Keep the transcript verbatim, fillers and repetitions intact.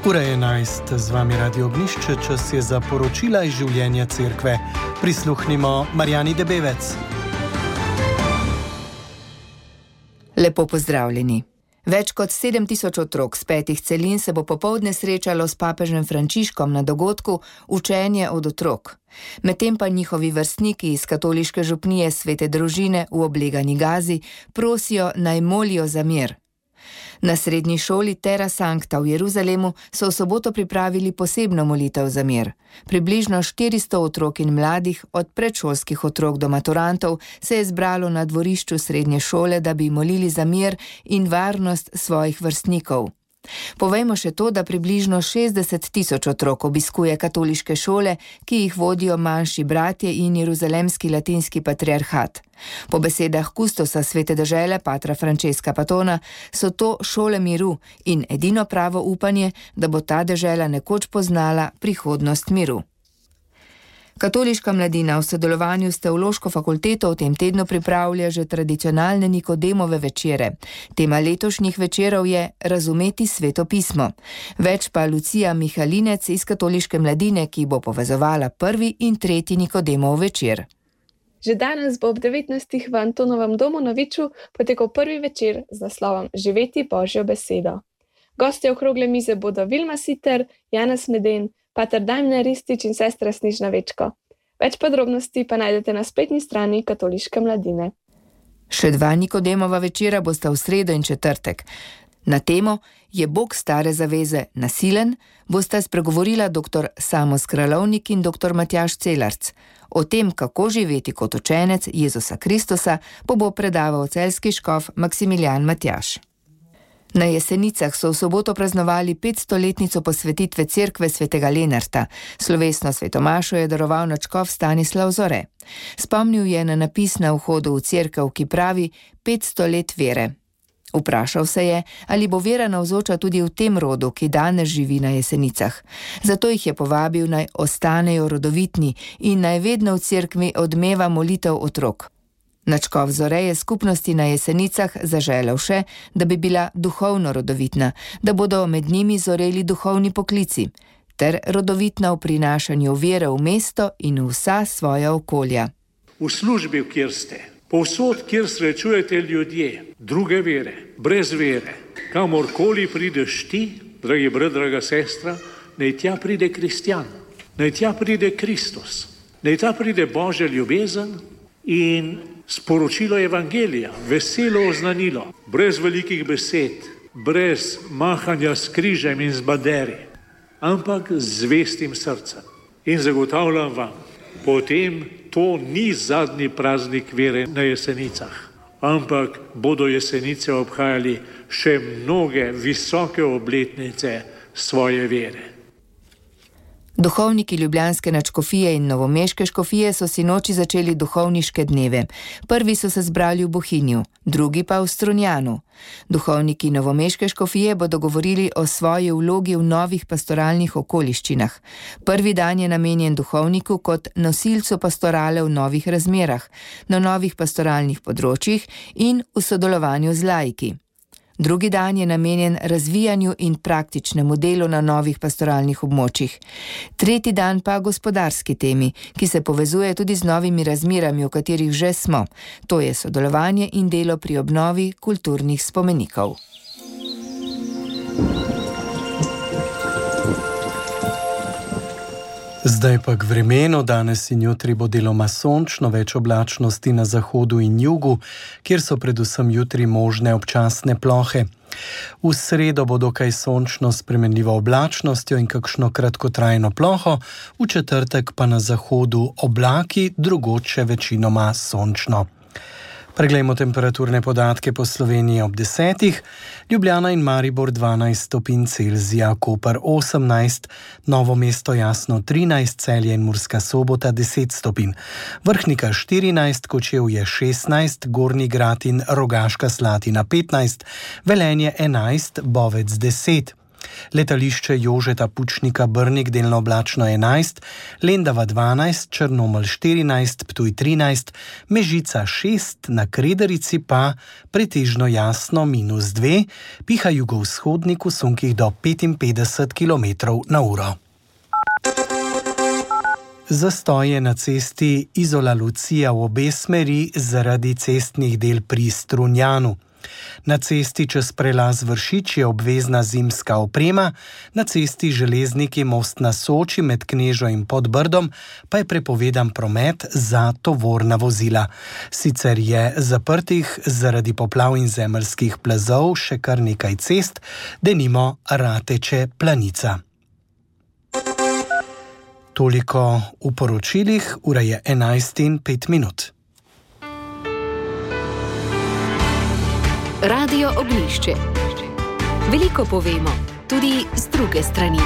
Ura je enajst, z vami Radio Ognišče, čas je za poročila iz življenja cerkve. Prisluhnimo Marjani Debevec. Lepo pozdravljeni. Več kot sedem tisoč otrok z petih celin se bo popoldne srečalo s papežem Frančiškom na dogodku Učenje od otrok. Medtem pa njihovi vrstniki iz katoliške župnije Svete družine v oblegani Gazi prosijo naj molijo za mir. Na srednji šoli Terra Sancta v Jeruzalemu so v soboto pripravili posebno molitev za mir. Približno štiristo otrok in mladih, od predšolskih otrok do maturantov, se je zbralo na dvorišču srednje šole, da bi molili za mir in varnost svojih vrstnikov. Povejmo še to, da približno šestdeset tisoč otrok obiskuje katoliške šole, ki jih vodijo manjši bratje in jeruzalemski latinski patriarhat. Po besedah kustosa Svete dežele, patra Francesca Patona, so to šole miru in edino pravo upanje, da bo ta dežela nekoč poznala prihodnost miru. Katoliška mladina v sodelovanju s Teološko fakulteto v tem tednu pripravlja že tradicionalne Nikodemove večere. Tema letošnjih večerov je Razumeti Sveto pismo. Več pa Lucija Mihalinec iz Katoliške mladine, ki bo povezovala prvi in tretji Nikodemov večer. Že danes bo ob devetnajstih v Antonovem domu na Viču potekal prvi večer z naslovom Živeti Božjo besedo. Gostje okrogle mize bodo Vilma Siter, Janez Meden, pater Damjan Ristič in sestra Snežna Večko. Več podrobnosti pa najdete na spletni strani Katoliške mladine. Še dva Nikodemova večera bosta v sredo in četrtek. Na temo Je Bog stare zaveze nasilen bosta spregovorila dr. Samo Skralovnik in dr. Matjaž Celarc. O tem, kako živeti kot učenec Jezusa Kristusa, pa bo predaval celjski škof Maksimilijan Matjaž. Na Jesenicah so v soboto praznovali petstoletnico posvetitve cerkve svetega Lenarta. Slovesno svetomašo je daroval nadškof Stanislav Zore. Spomnil je na napis na vhodu v cerkev, ki pravi petsto let vere. Vprašal se je, ali bo vera navzoča tudi v tem rodu, ki danes živi na Jesenicah. Zato jih je povabil, naj ostanejo rodovitni in naj vedno v cerkvi odmeva molitev otrok. Nadškof Zore je skupnosti na Jesenicah zaželel še, da bi bila duhovno rodovitna, da bodo med njimi zoreli duhovni poklici, ter rodovitna v prinašanju vere v mesto in v vsa svoja okolja. V službi, kjer ste, povsod, kjer srečujete ljudje, druge vere, brez vere, kamorkoli prideš ti, dragi brat, draga sestra, naj tja pride kristjan, naj tja pride Kristus, naj tja pride Božja ljubezen in sporočilo evangelija, veselo oznanilo, brez velikih besed, brez mahanja s križem in z baderi, ampak z zvestim srcem. In zagotavljam vam, potem to ni zadnji praznik vere na Jesenicah, ampak bodo Jesenice obhajali še mnoge visoke obletnice svoje vere. Duhovniki ljubljanske nadškofije in novomeške škofije so sinoči začeli duhovniške dneve. Prvi so se zbrali v Bohinju, drugi pa v Strunjanu. Duhovniki novomeške škofije bodo govorili o svoji vlogi v novih pastoralnih okoliščinah. Prvi dan je namenjen duhovniku kot nosilcu pastorale v novih razmerah, na novih pastoralnih področjih in v sodelovanju z laiki. Drugi dan je namenjen razvijanju in praktičnemu delu na novih pastoralnih območjih. Tretji dan pa gospodarski temi, ki se povezuje tudi z novimi razmerami, v katerih že smo. To je sodelovanje in delo pri obnovi kulturnih spomenikov. Zdaj pa k vremenu. Danes in jutri bo deloma sončno, več oblačnosti na zahodu in jugu, kjer so predvsem jutri možne občasne plohe. V sredo bo dokaj sončno s spremenljivo oblačnostjo in kakšno kratkotrajno ploho, v četrtek pa na zahodu oblaki, drugod še večinoma sončno. Preglejmo temperaturne podatke po Sloveniji ob desetih. Ljubljana in Maribor dvanajst stopinj Celzija, Koper osemnajst, Novo mesto Jasno trinajst, Celje in Murska Sobota deset stopinj, Vrhnika štirinajst, Kočevje šestnajst, Gornji Grad in Rogaška Slatina petnajst, Velenje enajst, Bovec deset. Letališče Jožeta Pučnika Brnik delno oblačno enajst, Lendava dvanajst, Črnomelj štirinajst, Ptuj trinajst, Mežica šest, na Krederici pa pretežno jasno minus dve, piha jugovzhodnik v sunkih do petinpetdeset kilometrov na uro. Zastoje na cesti Izola-Lucija v obe smeri zaradi cestnih del pri Strunjanu. Na cesti čez prelaz Vršič je obvezna zimska oprema, na cesti Železniki most na Soči med Knežo in Podbrdom pa je prepovedan promet za tovorna vozila. Sicer je zaprtih zaradi poplav in zemeljskih plazov še kar nekaj cest, denimo Rateče-Planica. Toliko v poročilih, ura je enajst in pet minut. Radio Oglišče. Veliko povemo, tudi z druge strani.